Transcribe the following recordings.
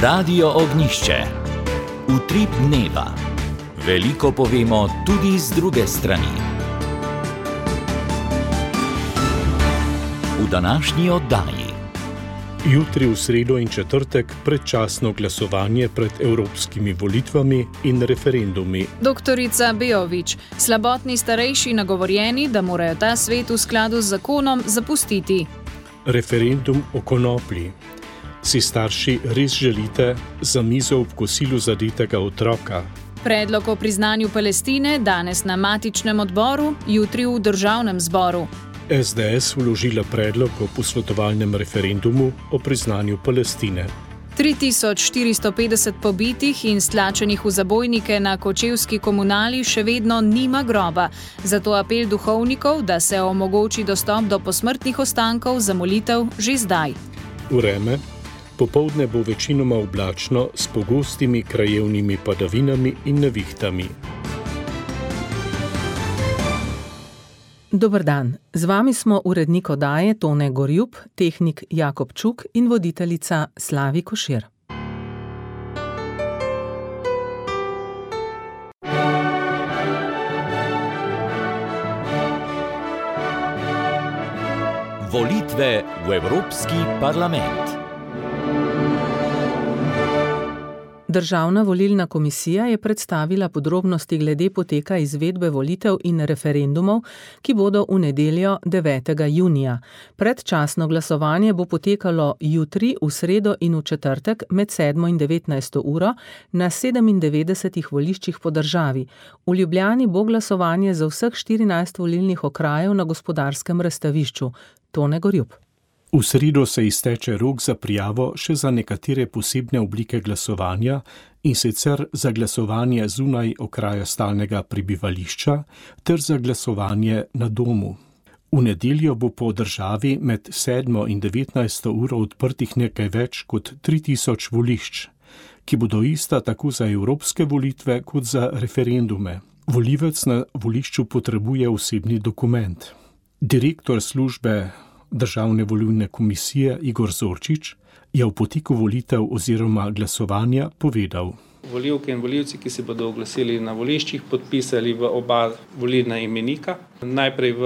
Radio Ognišče. Utrip dneva. Veliko povemo tudi z druge strani. V današnji oddaji. Jutri v sredo in četrtek predčasno glasovanje pred evropskimi volitvami in referendumi. Doktorica Bejović, slabotni starejši nagovorjeni, da morajo ta svet v skladu z zakonom zapustiti. Referendum o konoplji. Si starši res želite za mizo ob kosilu zadetega otroka? Predlog o priznanju Palestine danes na matičnem odboru, jutri v državnem zboru. SDS vložila predlog o posvetovalnem referendumu o priznanju Palestine. 3450 pobitih in stlačenih v zabojnike na kočevski komunali še vedno nima groba, zato apel duhovnikov, da se omogoči dostop do posmrtnih ostankov za molitev že zdaj. Vreme. Popoldne bo večinoma oblačno s pogostimi krajevnimi padavinami in nevihtami. Dober dan, z vami smo urednik oddaje Tone Gorjup, tehnik Jakob Čuk in voditeljica Slavi Košir. Volitve v Evropski parlament. Državna volilna komisija je predstavila podrobnosti glede poteka izvedbe volitev in referendumov, ki bodo v nedeljo 9. junija. Predčasno glasovanje bo potekalo jutri, v sredo in v četrtek med 7. in 19. uro na 97 voliščih po državi. V Ljubljani bo glasovanje za vseh 14 volilnih okrajev na Gospodarskem razstavišču. Tone Gorjup. V sredo se izteče rok za prijavo še za nekatere posebne oblike glasovanja, in sicer za glasovanje zunaj okraja stalnega prebivališča ter za glasovanje na domu. V nedeljo bo po državi med 7. in 19. uro odprtih nekaj več kot 3000 volišč, ki bodo ista tako za evropske volitve kot za referendume. Volivec na volišču potrebuje osebni dokument. Direktor službe Državne volilne komisije Igor Zorčič je v poteku volitev oziroma glasovanja povedal. Volivke in volivci, ki se bodo oglasili na voliščih, podpisali v oba volilna imenika. Najprej v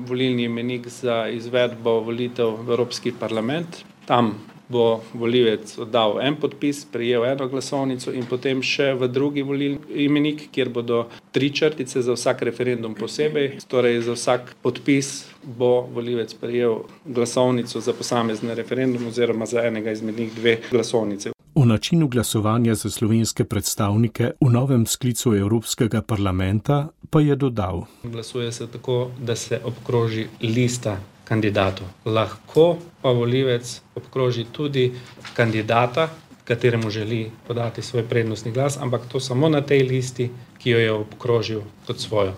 volilni imenik za izvedbo volitev v Evropski parlament. Tam bo volivec oddal en podpis, prejel eno glasovnico in potem še v drugi volilni imenik, kjer bodo 3 črtice za vsak referendum posebej. Torej za vsak podpis bo volivec prejel glasovnico za posamezni referendum oziroma za enega izmed njih 2 glasovnice. O načinu glasovanja za slovenske predstavnike v novem sklicu Evropskega parlamenta pa je dodal. Glasuje se tako, da se obkroži lista kandidatov. Lahko pa volivec obkroži tudi kandidata, kateremu želi podati svoj prednostni glas, ampak to samo na tej listi, ki jo je obkrožil kot svojo.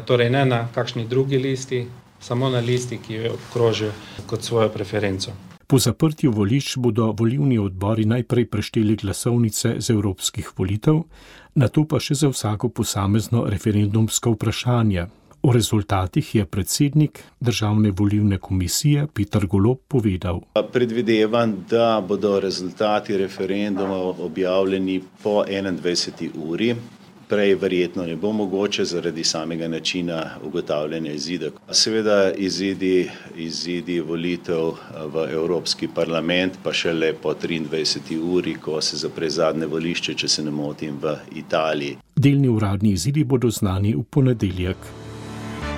Torej ne na kakšni drugi listi, samo na listi, ki jo je obkrožil kot svojo preferenco. Po zaprtju volišč bodo volilni odbori najprej prešteli glasovnice z evropskih volitev, nato pa še za vsako posamezno referendumsko vprašanje. O rezultatih je predsednik Državne volilne komisije Peter Golob povedal. Predvidevam, da bodo rezultati referendumov objavljeni po 21. uri. Prej verjetno ne bo mogoče zaradi samega načina ugotavljanja izida. Seveda izidi volitev v Evropski parlament pa šele po 23. uri, ko se zapre zadnje volišče, če se ne motim, v Italiji. Delni uradni izidi bodo znani v ponedeljek.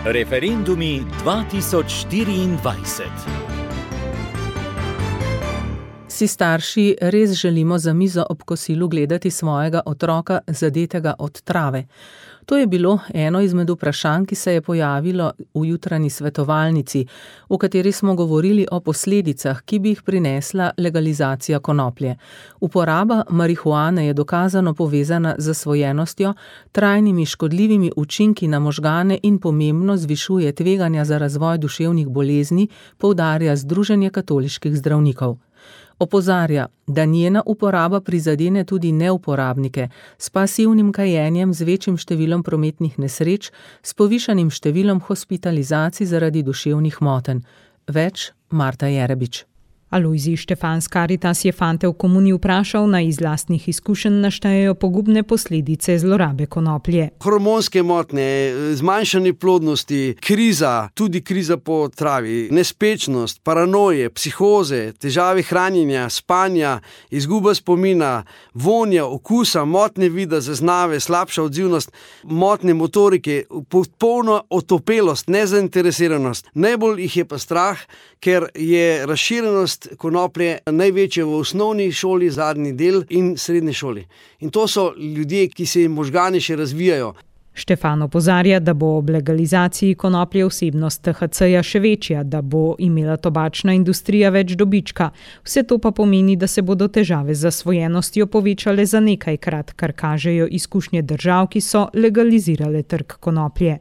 Referendumi 2024. Si starši res želimo za mizo ob kosilu gledati svojega otroka zadetega od trave? To je bilo eno izmed vprašanj, ki se je pojavilo v jutranji svetovalnici, v kateri smo govorili o posledicah, ki bi jih prinesla legalizacija konoplje. Uporaba marihuane je dokazano povezana z zasvojenostjo, trajnimi škodljivimi učinki na možgane in pomembno zvišuje tveganja za razvoj duševnih bolezni, poudarja Združenje katoliških zdravnikov. Opozarja, da njena uporaba prizadene tudi neuporabnike s pasivnim kajenjem, z večjim številom prometnih nesreč, s povišanim številom hospitalizacij zaradi duševnih motenj. Več Marta Jerebič. Alojzij Štefan s Karitas je fante v komuni vprašal, naj iz lastnih izkušenj naštejejo pogubne posledice zlorabe konoplje. Hormonske motnje, zmanjšanje plodnosti, kriza, tudi kriza po travi, nespečnost, paranoje, psihoze, težave hranjenja, spanja, izguba spomina, vonja, okusa, motnje vida, zaznave, slabša odzivnost, motnje motorike, popolna otopelost, nezainteresiranost. Najbolj jih je pa strah, ker je razširjenost konoplje največja v osnovni šoli, zadnji del in srednji šoli. In to so ljudje, ki se jim možgani še razvijajo. Štefan opozarja, da bo ob legalizaciji konoplje vsebnost THC-ja še večja, da bo imela tobačna industrija več dobička. Vse to pa pomeni, da se bodo težave z zasvojenostjo povečale za nekajkrat, kar kažejo izkušnje držav, ki so legalizirale trg konoplje.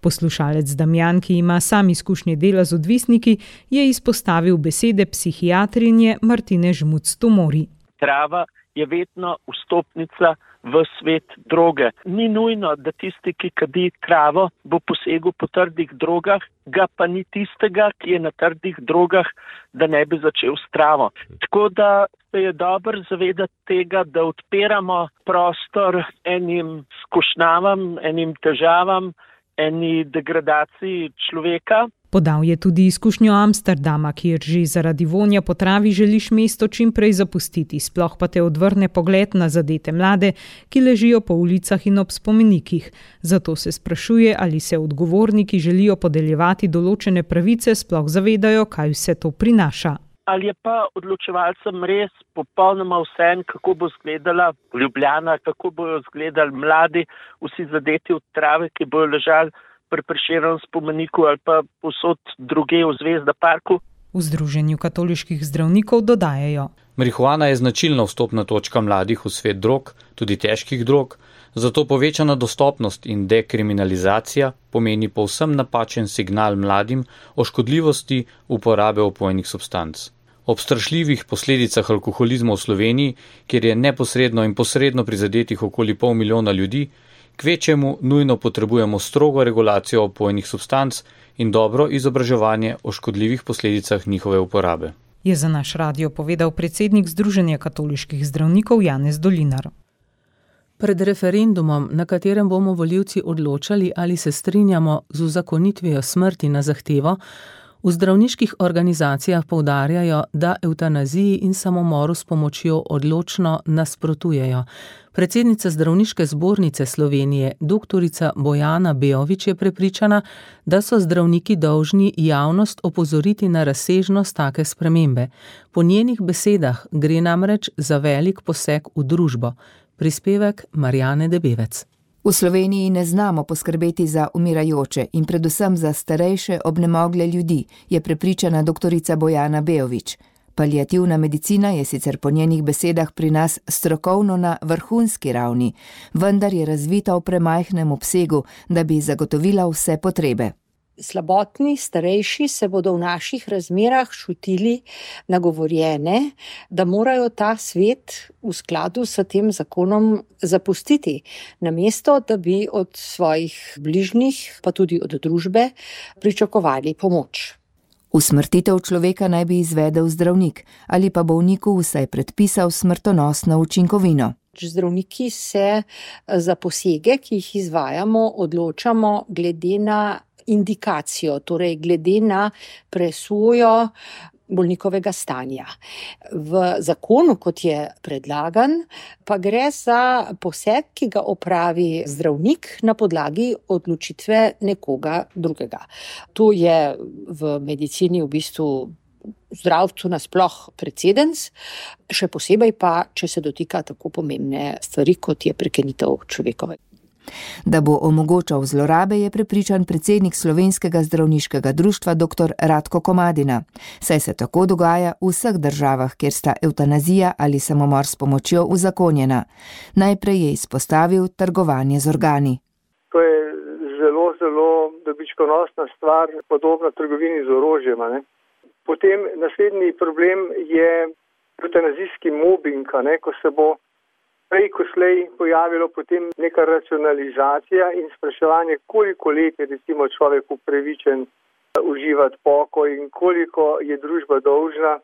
Poslušalec Damjan, ki ima sam izkušnje dela z odvisniki, je izpostavil besede psihiatrinje Martine Žmuc-Tomori. Trava je vedno vstopnica v svet droge. Ni nujno, da tisti, ki kadi travo, bo posegel po trdih drogah, ga pa ni tistega, ki je na trdih drogah, da ne bi začel s travo. Tako da se je dobro zavedati tega, da odpiramo prostor enim skušnjavam, enim težavam, eni degradaciji človeka. Podal je tudi izkušnjo Amsterdama, kjer že zaradi vonja po travi želiš mesto čim prej zapustiti, sploh pa te odvrne pogled na zadete mlade, ki ležijo po ulicah in ob spomenikih. Zato se sprašuje, ali se odgovorni, ki želijo podeljevati določene pravice, sploh zavedajo, kaj vse to prinaša. Ali je pa odločevalcem res popolnoma vseeno, kako bo izgledala Ljubljana, kako bojo izgledali mladi, vsi zadeti od trave, ki bojo ležali pri Prešernovem spomeniku ali pa povsod drugje v Zvezda parku? V Združenju katoliških zdravnikov dodajajo. Marihuana je značilna vstopna točka mladih v svet drog, tudi težkih drog, zato povečana dostopnost in dekriminalizacija pomeni povsem napačen signal mladim o škodljivosti uporabe opojnih substanc. Ob strašljivih posledicah alkoholizma v Sloveniji, kjer je neposredno in posredno prizadetih okoli 500 000 ljudi, kvečemu nujno potrebujemo strogo regulacijo opojnih substanc in dobro izobraževanje o škodljivih posledicah njihove uporabe. Je za naš radio povedal predsednik Združenja katoliških zdravnikov Janez Dolinar. Pred referendumom, na katerem bomo volivci odločali, ali se strinjamo z uzakonitvijo smrti na zahtevo, v zdravniških organizacijah poudarjajo, da evtanaziji in samomoru s pomočjo odločno nasprotujejo. Predsednica Zdravniške zbornice Slovenije, doktorica Bojana Beović, je prepričana, da so zdravniki dolžni javnost opozoriti na razsežnost take spremembe. Po njenih besedah gre namreč za velik poseg v družbo. Prispevek Marjane Debevec. V Sloveniji ne znamo poskrbeti za umirajoče in predvsem za starejše obnemogle ljudi, je prepričana doktorica Bojana Beović. Paliativna medicina je sicer po njenih besedah pri nas strokovno na vrhunski ravni, vendar je razvita v premajhnem obsegu, da bi zagotovila vse potrebe. Slabotni, starejši se bodo v naših razmerah čutili nagovorjene, da morajo ta svet v skladu s tem zakonom zapustiti, namesto da bi od svojih bližnjih, pa tudi od družbe, pričakovali pomoč. Usmrtitev človeka naj bi izvedel zdravnik ali pa bolniku vsaj predpisal smrtonosno učinkovino. Zdravniki se za posege, ki jih izvajamo, odločamo glede na indikacijo, torej glede na presojo bolnikovega stanja. V zakonu, kot je predlagan, pa gre za poseg, ki ga opravi zdravnik na podlagi odločitve nekoga drugega. To je v medicini v bistvu zdravstvu nasploh precedens, še posebej pa, če se dotika tako pomembne stvari, kot je prekinitev človekove. Da bo omogočal zlorabe, je prepričan predsednik Slovenskega zdravniškega društva dr. Ratko Komadina. Saj se tako dogaja v vseh državah, kjer sta evtanazija ali samomor s pomočjo uzakonjena. Najprej je izpostavil trgovanje z organi. To je zelo dobičkonosna stvar, podobna trgovini z orožjem. Potem naslednji problem je evtanazijski mobbing, ko se bo prej ko slej pojavilo potem neka racionalizacija in spraševanje, koliko let je recimo človek upravičen uživati pokoj in koliko je družba dolžna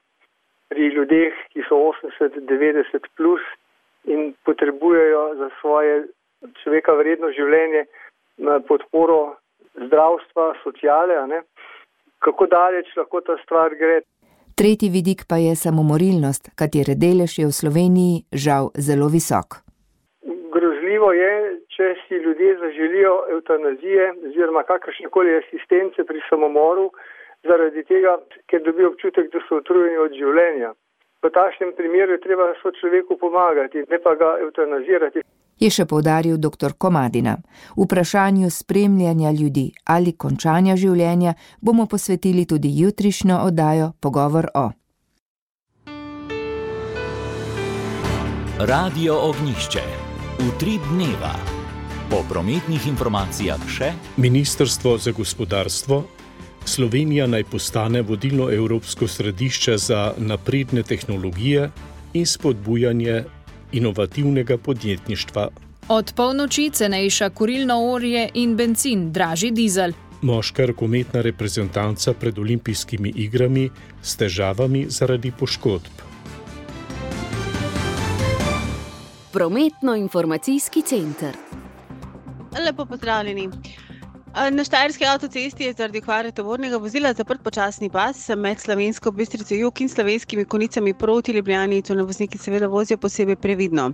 pri ljudeh, ki so 80-90 plus in potrebujejo za svoje človeka vredno življenje podporo zdravstva, sociale, ne? Kako daleč lahko ta stvar gre. Tretji vidik pa je samomorilnost, katere delež je v Sloveniji žal zelo visok. Grozljivo je, če si ljudje zaželijo evtanazije oziroma kakršnekoli asistence pri samomoru zaradi tega, ker dobijo občutek, da so utrujeni od življenja. V takšnem primeru je treba sočloveku pomagati, ne pa ga evtanazirati. Je še poudaril dr. Komadina. Vprašanju spremljanja ljudi ali končanja življenja bomo posvetili tudi jutrišnjo oddajo Pogovor o. Radio Ognjišče. Utrip dneva. Po prometnih informacijah še Ministrstvo za gospodarstvo. Slovenija naj postane vodilno evropsko središče za napredne tehnologije in spodbujanje inovativnega podjetništva. Od polnoči cenejša kurilno olje in bencin, dražji dizel. Moška rokometna reprezentanca pred olimpijskimi igrami s težavami zaradi poškodb. Prometno-informacijski center. Lepo pozdravljeni. Na Štajerski avtocesti je zaradi okvare tovornega vozila zaprt počasni pas med Slovensko Bistrico jug in Slovenskimi Konicami proti Ljubljani, to vozniki seveda vozijo posebej previdno.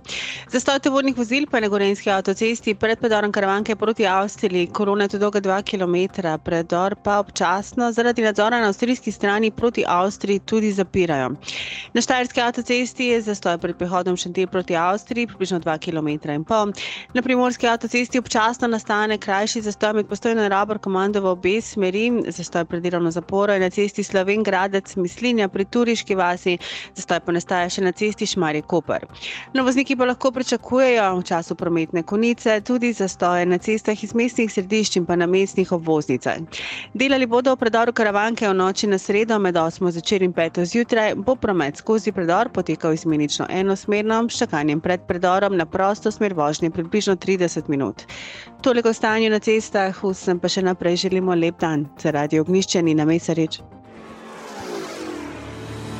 Zastoj tovornih vozil pa je na Gorenjski avtocesti pred predorom Karavanke proti Avstriji, kolona je dolga 2 km, predor pa občasno zaradi nadzora na avstrijski strani proti Avstriji tudi zapirajo. Na Štajerski avtocesti je zastoj pred prehodom Šentilj proti Avstriji približno 2,5 km. Na Primorski avtocesti občasno nastane krajši zastoj med Postojno in Rabor komando v obe smeri, zastoj pred delovno zaporo je na cesti Slovenj-Gradec-Mislinja pri Turiški vasi, zastoj pa nastaja še na cesti Šmarje-Koper. Vozniki pa lahko pričakujejo v času prometne konice tudi zastoje na cestah iz mestnih središč in pa na mestnih obvoznicah. Delali bodo v predoru Karavanke v noči na sredo med 8. zvečer in 5. zjutraj, bo promet skozi predor potekal izmenično enosmerno, s čakanjem pred predorom na prosto smer vožnje približno 30 minut. Toliko o stanju na cestah, vsem pa še naprej želimo lep dan. Za Radio Ognjišče Nina Mesarič.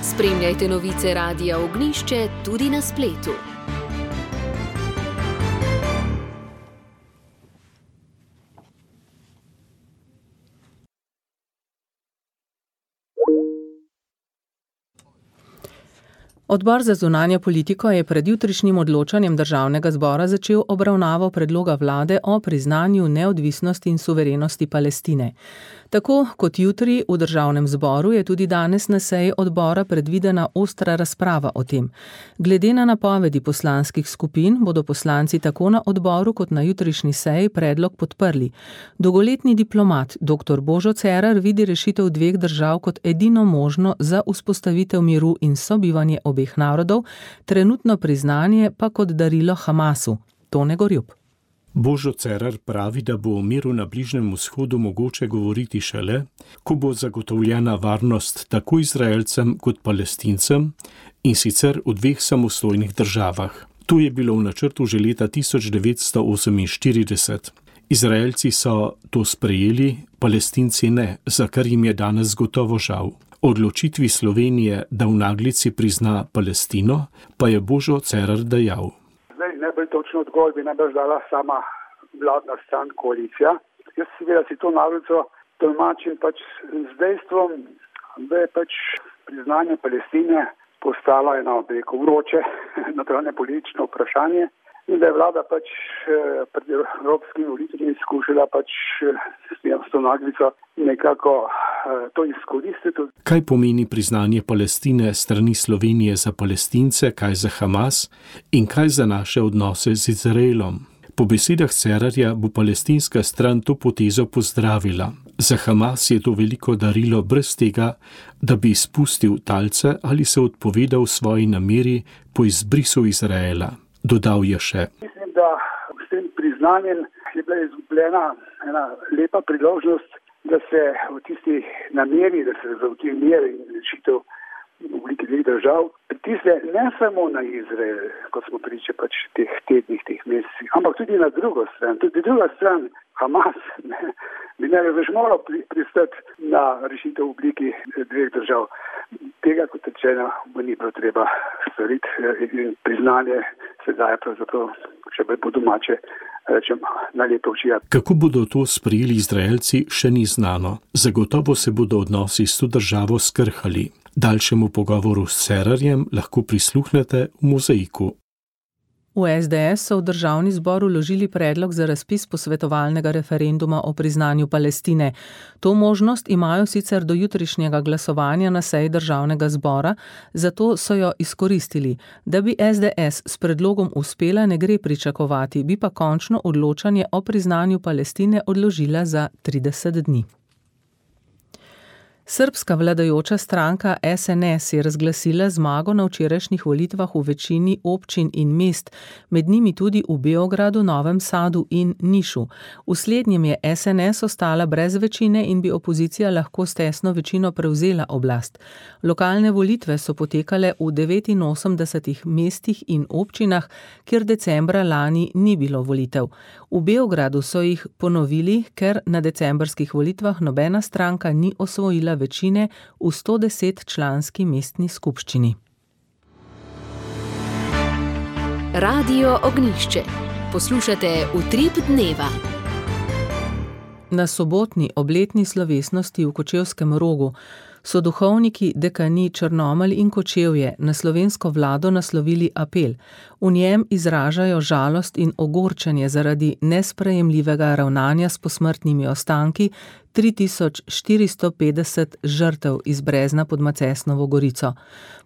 Spremljajte novice Radia Ognjišče tudi na spletu. Odbor za zunanjo politiko je pred jutrišnjim odločanjem Državnega zbora začel obravnavo predloga vlade o priznanju neodvisnosti in suverenosti Palestine. Tako kot jutri v Državnem zboru je tudi danes na seji odbora predvidena ostra razprava o tem. Glede na napovedi poslanskih skupin bodo poslanci tako na odboru kot na jutrišnji seji predlog podprli. Dolgoletni diplomat dr. Božo Cerar vidi rešitev dveh držav kot edino možno za vzpostavitev miru in sobivanje obeh narodov, trenutno priznanje pa kot darilo Hamasu. Tone Gorjup. Božo Cerar pravi, da bo o miru na Bližnjem vzhodu mogoče govoriti šele, ko bo zagotovljena varnost tako Izraelcem kot Palestincem, in sicer v dveh samostojnih državah. To je bilo v načrtu že leta 1948. Izraelci so to sprejeli, Palestinci ne, za kar jim je danes gotovo žal. Odločitvi Slovenije, da v naglici prizna Palestino, pa je Božo Cerar dejal. Najbolj točno odgovor bi najbolj dala sama vladna stran, koalicija. Jaz seveda si to naglico tolmačim z dejstvom, da je priznanje Palestine postala eno vroče notranje politično vprašanje in da je vlada pred evropskimi volitvami skušala s to naglico nekako to izkoristiti. Kaj pomeni priznanje Palestine strani Slovenije za Palestince, kaj za Hamas in kaj za naše odnose z Izraelom? Po besedah Cerarja bo palestinska stran to potezo pozdravila. Za Hamas je to veliko darilo brez tega, da bi izpustil talce ali se odpovedal svoji nameri po izbrisu Izraela. Dodal je še. Mislim, da s tem priznanjem je bila izgubljena ena lepa priložnost, da se v tisti nameri, da se zagotovi mir in rešitev v obliki dveh držav pritisne ne samo na Izrael, kot smo priča teh tednih, teh mesecih, ampak tudi na drugo stran. Tudi druga stran, Hamas, bi ne več moral pristati na rešitev v obliki dveh držav. Tega, kot rečeno, bo ni bilo treba storiti in priznanje se daje pravzaprav, če bo domače, rečem, na leto oči. Kako bodo to sprejeli Izraelci, še ni znano. Zagotovo se bodo odnosi s to državo skrhali. Daljšemu pogovoru s Cerarjem lahko prisluhnete v Mozaiku. V SDS so v državni zbor vložili predlog za razpis posvetovalnega referenduma o priznanju Palestine. To možnost imajo sicer do jutrišnjega glasovanja na seji državnega zbora, zato so jo izkoristili. Da bi SDS s predlogom uspela, ne gre pričakovati, bi pa končno odločanje o priznanju Palestine odložila za 30 dni. Srbska vladajoča stranka SNS je razglasila zmago na včerajšnjih volitvah v večini občin in mest, med njimi tudi v Beogradu, Novem Sadu in Nišu. V slednjem je SNS ostala brez večine in bi opozicija lahko s tesno večino prevzela oblast. Lokalne volitve so potekale v 89 mestih in občinah, kjer decembra lani ni bilo volitev. V Beogradu so jih ponovili, ker na decembrskih volitvah nobena stranka ni osvojila večine v 110-članski mestni skupščini. Radio Ognjišče. Poslušate Utrip dneva. Na sobotni obletni slovesnosti v Kočevskem Rogu so duhovniki dekani Črnomelj in Kočevje na slovensko vlado naslovili apel. V njem izražajo žalost in ogorčenje zaradi nesprejemljivega ravnanja s posmrtnimi ostanki 3450 žrtev iz Brezna pod Macesnovo Gorico.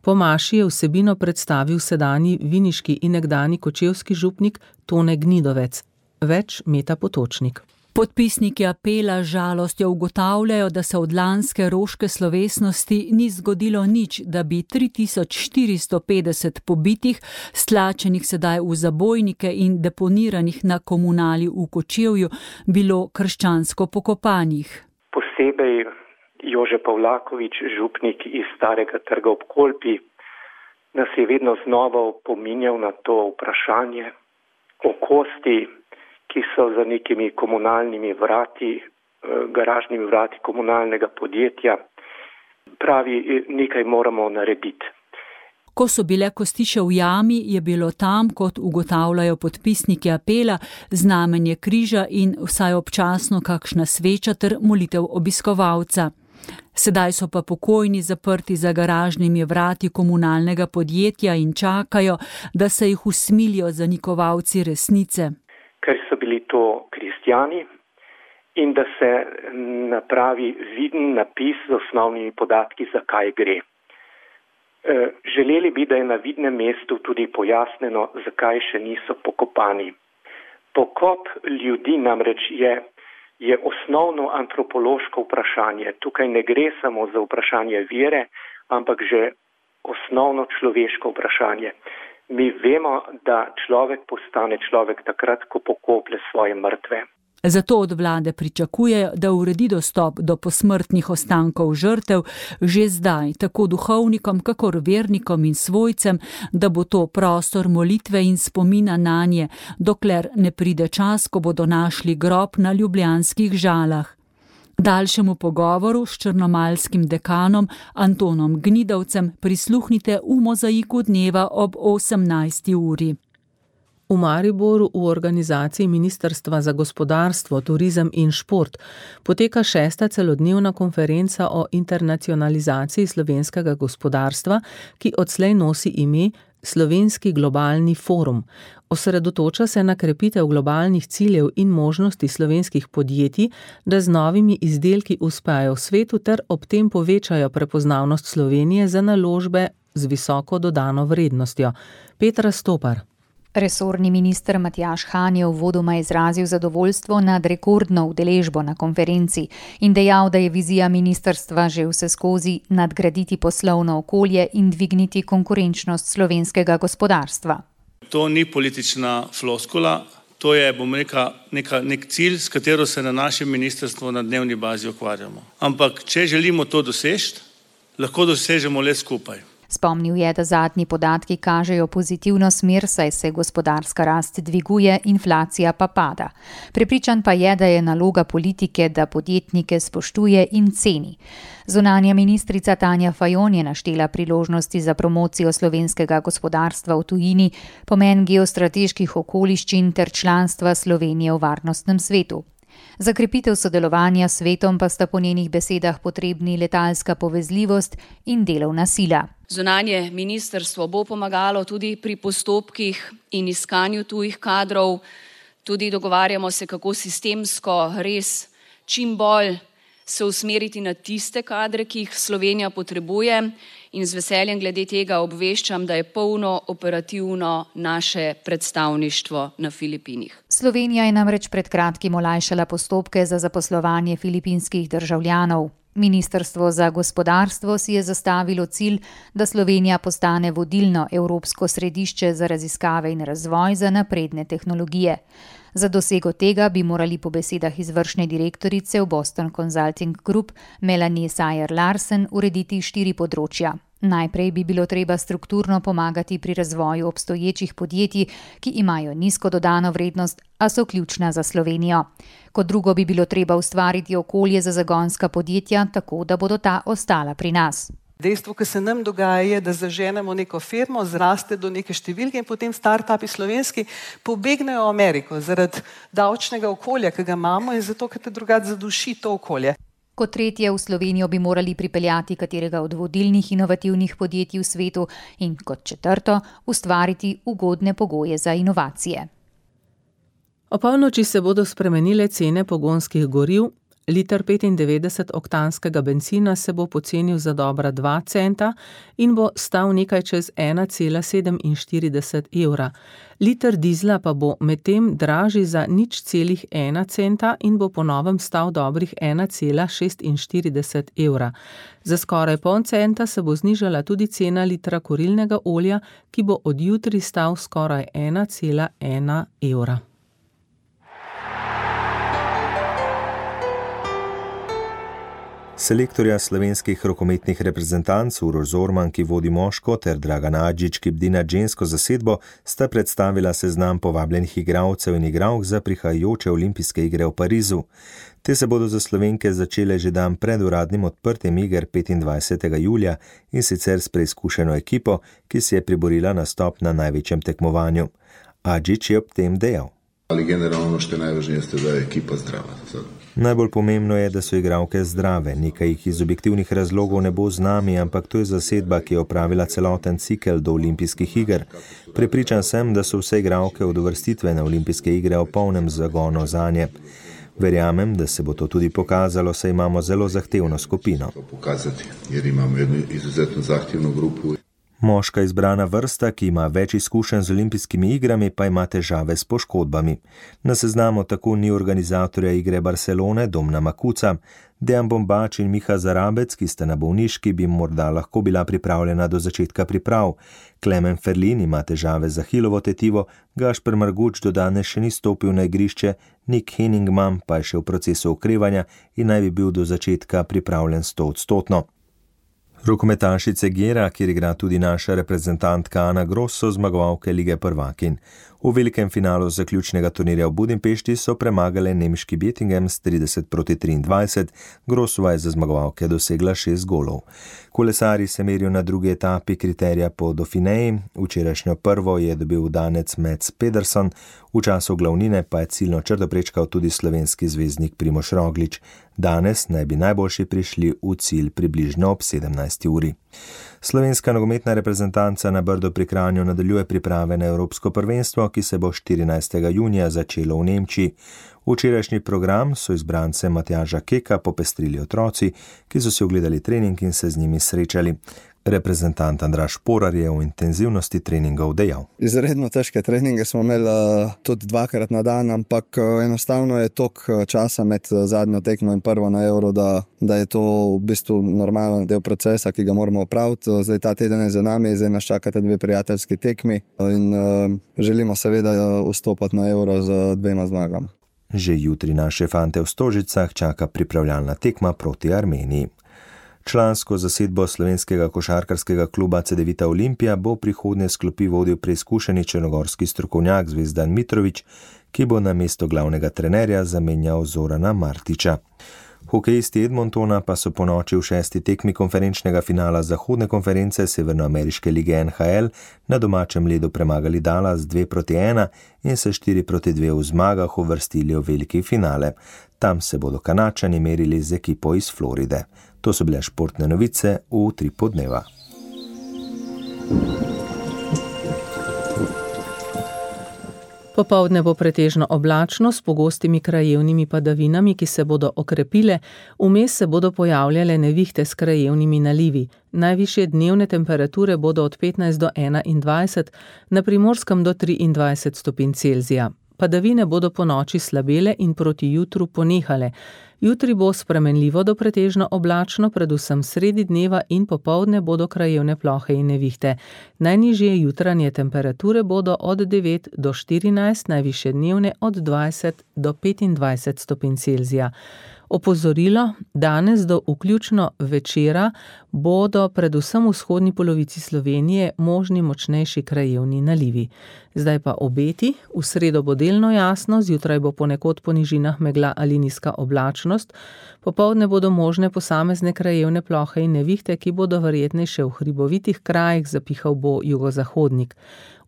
Po maši je vsebino predstavil sedanji viniški in nekdanji kočevski župnik Tone Gnidovec. Več Meta Potočnik. Podpisniki apela žalostjo ugotavljajo, da se od lanske roške slovesnosti ni zgodilo nič, da bi 3450 pobitih, stlačenih sedaj v zabojnike in deponiranih na komunali v Kočevju, bilo krščansko pokopanih. Posebej Jože Pavlaković, župnik iz Starega trga ob Kolpi, nas je vedno znova opominjal na to vprašanje o kosti, ki so za nekimi komunalnimi vrati, garažnimi vrati komunalnega podjetja. Pravi, nekaj moramo narediti. Ko so bile kosti še v jami, je bilo tam, kot ugotavljajo podpisniki apela, znamenje križa in vsaj občasno kakšna sveča ter molitev obiskovalca. Sedaj so pa pokojni zaprti za garažnimi vrati komunalnega podjetja in čakajo, da se jih usmilijo zanikovalci resnice. Ker so bili to kristjani in da se napravi viden napis z osnovnimi podatki, zakaj gre. Želeli bi, da je na vidnem mestu tudi pojasneno, zakaj še niso pokopani. Pokop ljudi namreč je osnovno antropološko vprašanje. Tukaj ne gre samo za vprašanje vere, ampak že osnovno človeško vprašanje. Mi vemo, da človek postane človek takrat, ko pokoplje svoje mrtve. Zato od vlade pričakujejo, da uredi dostop do posmrtnih ostankov žrtev že zdaj, tako duhovnikom, kakor vernikom in svojcem, da bo to prostor molitve in spomina nanje, dokler ne pride čas, ko bodo našli grob na ljubljanskih Žalah. Daljšemu pogovoru s črnomaljskim dekanom Antonom Gnidovcem prisluhnite v Mozaiku dneva ob 18. uri. V Mariboru v organizaciji Ministrstva za gospodarstvo, turizem in šport poteka 6. celodnevna konferenca o internacionalizaciji slovenskega gospodarstva, ki odslej nosi ime Slovenski globalni forum. Osredotoča se na krepitev globalnih ciljev in možnosti slovenskih podjetij, da z novimi izdelki uspejo v svetu ter ob tem povečajo prepoznavnost Slovenije za naložbe z visoko dodano vrednostjo. Petra Stopar. Resorni minister Matjaž Han je uvodoma izrazil zadovoljstvo nad rekordno udeležbo na konferenci in dejal, da je vizija ministrstva že vseskozi nadgraditi poslovno okolje in dvigniti konkurenčnost slovenskega gospodarstva. To ni politična floskula, to je, bom rekel, nek cilj, s katero se na našem ministrstvu na dnevni bazi ukvarjamo. Ampak, če želimo to doseči, lahko dosežemo le skupaj. Spomnil je, da zadnji podatki kažejo pozitivno smer, saj se gospodarska rast dviguje, inflacija pa pada. Prepričan pa je, da je naloga politike, da podjetnike spoštuje in ceni. Zunanja ministrica Tanja Fajon je naštela priložnosti za promocijo slovenskega gospodarstva v tujini, pomen geostrateških okoliščin ter članstva Slovenije v varnostnem svetu. Za krepitev sodelovanja s svetom pa sta po njenih besedah potrebni letalska povezljivost in delovna sila. Zunanje ministrstvo bo pomagalo tudi pri postopkih in iskanju tujih kadrov. Tudi dogovarjamo se, kako sistemsko res čim bolj se usmeriti na tiste kadre, ki jih Slovenija potrebuje, in z veseljem glede tega obveščam, da je polno operativno naše predstavništvo na Filipinih. Slovenija je namreč pred kratkim olajšala postopke za zaposlovanje filipinskih državljanov. Ministrstvo za gospodarstvo si je zastavilo cilj, da Slovenija postane vodilno evropsko središče za raziskave in razvoj za napredne tehnologije. Za dosego tega bi morali po besedah izvršne direktorice v Boston Consulting Group Melanie Sayer-Larsen urediti 4 področja. Najprej bi bilo treba strukturno pomagati pri razvoju obstoječih podjetij, ki imajo nizko dodano vrednost, a so ključna za Slovenijo. Kot drugo bi bilo treba ustvariti okolje za zagonska podjetja, tako da bodo ta ostala pri nas. Dejstvo, ki se nam dogaja, je, da zaženemo neko firmo, zraste do neke številke in potem startupi slovenski pobegnejo v Ameriko zaradi davčnega okolja, ki ga imamo, in zato, ker te drugače zaduši to okolje. Kot tretje, v Slovenijo bi morali pripeljati katerega od vodilnih inovativnih podjetij v svetu in kot četrto, ustvariti ugodne pogoje za inovacije. Opolnoči se bodo spremenile cene pogonskih goriv. Liter 95-oktanskega bencina se bo pocenil za dobra 2 centa in bo stal nekaj čez 1,47 evra. Liter dizla pa bo medtem dražji za 0,1 centa in bo po novem stal dobrih 1,46 evra. Za skoraj pol centa se bo znižala tudi cena litra kurilnega olja, ki bo od jutri stal skoraj 1,1 evra. Selektorja slovenskih rokometnih reprezentanc Uroš Zorman, ki vodi moško, ter Dragan Adžič, ki bdi nad žensko zasedbo, sta predstavila seznam povabljenih igralcev in igralk za prihajajoče olimpijske igre v Parizu. Te se bodo za Slovenke začele že dan pred uradnim odprtjem iger 25. julija in sicer s preizkušeno ekipo, ki si je priborila nastop na največjem tekmovanju. Adžič je ob tem dejal: Ali generalno što je najvažnije jeste da je ekipa zdrava. Najbolj pomembno je, da so igralke zdrave. Nekaj jih iz objektivnih razlogov ne bo z nami, ampak to je zasedba, ki je opravila celoten cikel do olimpijskih iger. Prepričan sem, da so vse igralke od uvrstitve na olimpijske igre v polnem zagonu zanje. Verjamem, da se bo to tudi pokazalo, saj imamo zelo zahtevno skupino. Pokazati, jer imamo jednu izuzetno zahtevno grupu. Moška izbrana vrsta, ki ima več izkušenj z olimpijskimi igrami, pa ima težave s poškodbami. Na seznamu tako ni organizatorja igre Barcelone Domna Makuca. Dejan Bombač in Miha Zarabec, ki sta na bolniški, bi morda lahko bila pripravljena do začetka priprav. Klemen Ferlin ima težave z ahilovo tetivo, Gašper Marguč do danes še ni stopil na igrišče, Nick Henningman pa je še v procesu okrevanja in naj bi bil do začetka pripravljen 100%. Rokometašice Gera, kjer igra tudi naša reprezentantka Ana Gros, so zmagovalke Lige prvakinj. V velikem finalu zaključnega turnirja v Budimpešti so premagale nemški Bettingen s 30-23, Grosova je za zmagovalke dosegla 6 golov. Kolesarji se merijo na drugi etapi kriterija po Dauphineji, včerajšnjo prvo je dobil danec Mats Pedersen, v času glavnine pa je ciljno črto prečkal tudi slovenski zvezdnik Primož Roglič. Danes naj bi najboljši prišli v cilj približno ob 17. uri. Slovenska nogometna reprezentanca na Brdu pri Kranju nadaljuje priprave na Evropsko prvenstvo, ki se bo 14. junija začelo v Nemčiji. Včerajšnji program so izbrance Matjaža Keka popestrili otroci, ki so si ogledali trening in se z njimi srečali. Reprezentant Andraž Porar je v intenzivnosti treningov dejal: Izredno težke treninge smo imeli tudi 2-krat na dan, ampak enostavno je toliko časa med zadnjo tekmo in prvo na Euro, da je to v bistvu normalen del procesa, ki ga moramo opraviti. Zdaj ta teden je za nami, zdaj nas čakate 2 prijateljski tekmi in želimo seveda vstopati na Euro z 2 zmagami. Že jutri naše fante v Stožicah čaka pripravljalna tekma proti Armeniji. Člansko zasedbo slovenskega košarkarskega kluba Cedevita Olimpija bo prihodnje sklopi vodil preizkušeni črnogorski strokovnjak Zvezdan Mitrović, ki bo na mesto glavnega trenerja zamenjal Zorana Martića. Hokejisti Edmontona pa so ponoči v 6. tekmi konferenčnega finala zahodne konference Severnoameriške lige NHL na domačem ledu premagali Dallas 2-1 in se 4-2 v zmagah uvrstili v veliki finale. Tam se bodo Kanačani merili z ekipo iz Floride. To so bile športne novice v Utripu dneva. Popoldne bo pretežno oblačno s pogostimi krajevnimi padavinami, ki se bodo okrepile, vmes se bodo pojavljale nevihte s krajevnimi nalivi. Najvišje dnevne temperature bodo od 15 do 21, na Primorskem do 23 stopinj Celzija. Padavine bodo po noči slabele in proti jutru ponehale. Jutri bo spremenljivo do pretežno oblačno, predvsem sredi dneva in popoldne bodo krajevne plohe in nevihte. Najnižje jutranje temperature bodo od 9 do 14, najvišje dnevne od 20 do 25 stopinj Celzija. Opozorilo, danes do vključno večera bodo predvsem v vzhodni polovici Slovenije možni močnejši krajevni nalivi. Zdaj pa obeti, v sredo bo delno jasno, zjutraj bo ponekod po nižinah megla ali nizka oblačnost, popoldne bodo možne posamezne krajevne plohe in nevihte, ki bodo verjetnejše v hribovitih krajih, zapihal bo jugozahodnik.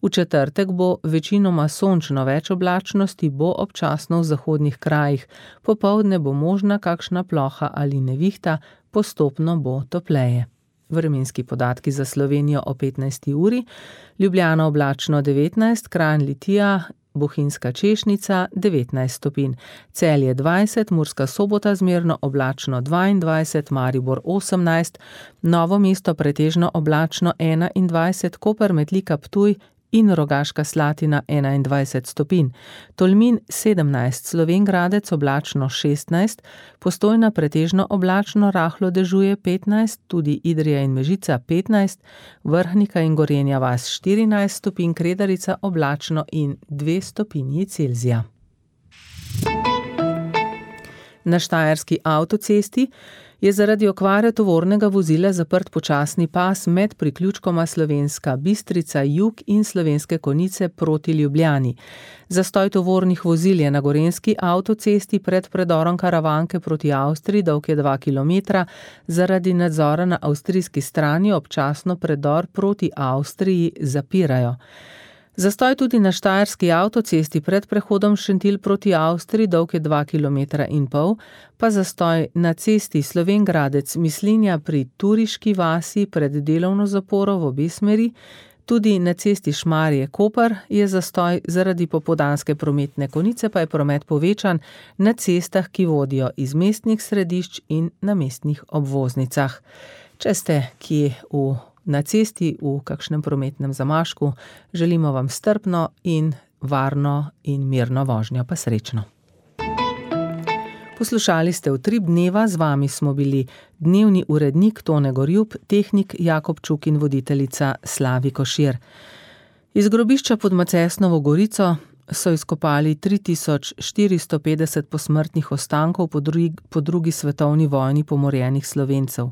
V četrtek bo večinoma sončno, več oblačnosti bo občasno v zahodnih krajih, popoldne bo možna kakšna ploha ali nevihta, postopno bo topleje. Vremenski podatki za Slovenijo o 15. uri, Ljubljana oblačno 19, Kranj Litija, Bohinjska Češnica 19 stopinj, Celje 20, Murska Sobota zmerno oblačno 22, Maribor 18, Novo mesto pretežno oblačno 21, Koper, Metlika, Ptuj in Rogaška Slatina 21 stopinj, Tolmin 17, Slovenj Gradec oblačno 16, Postojna pretežno oblačno, rahlo dežuje 15, tudi Idrija in Mežica 15, Vrhnika in Gorenja vas 14 stopinj, Kredarica oblačno in 2 stopinji Celzija. Na štajerski avtocesti je zaradi okvare tovornega vozila zaprt počasni pas med priključkoma Slovenska Bistrica jug in Slovenske Konjice proti Ljubljani. Zastoj tovornih vozil je na gorenjski avtocesti pred predorom Karavanke proti Avstriji, dolg je 2 km, zaradi nadzora na avstrijski strani občasno predor proti Avstriji zapirajo. Zastoj tudi na štajerski avtocesti pred prehodom Šentilj proti Avstriji, dolg je 2,5 km, pa zastoj na cesti Slovenj Gradec Mislinja pri Turiški vasi pred delovno zaporo v obe smeri, tudi na cesti Šmarje Koper je zastoj zaradi popoldanske prometne konice, pa je promet povečan na cestah, ki vodijo iz mestnih središč in na mestnih obvoznicah. Če ste kje na cesti v kakšnem prometnem zamašku, želimo vam strpno in varno in mirno vožnjo, pa srečno. Poslušali ste Utrip dneva, z vami smo bili dnevni urednik Tone Gorjup, tehnik Jakob Čuk in voditeljica Slavi Košir. Iz grobišča pod Macesnovo Gorico so izkopali 3450 posmrtnih ostankov po drugi svetovni vojni pomorjenih Slovencev.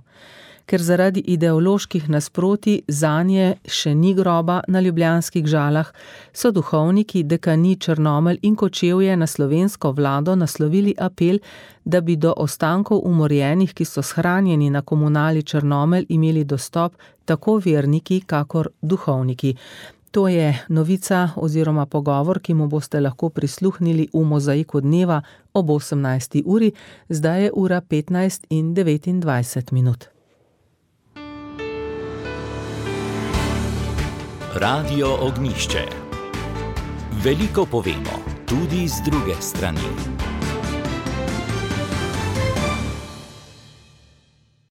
Ker zaradi ideoloških nasprotij zanje še ni groba na ljubljanskih Žalah, so duhovniki, dekani Črnomelj in Kočevje na slovensko vlado naslovili apel, da bi do ostankov umorjenih, ki so shranjeni na komunali Črnomelj, imeli dostop tako verniki, kakor duhovniki. To je novica oziroma pogovor, ki mu boste lahko prisluhnili v Mozaiku dneva ob 18. uri, zdaj je ura 15:29. Radio Ognišče. Veliko povemo, tudi z druge strani.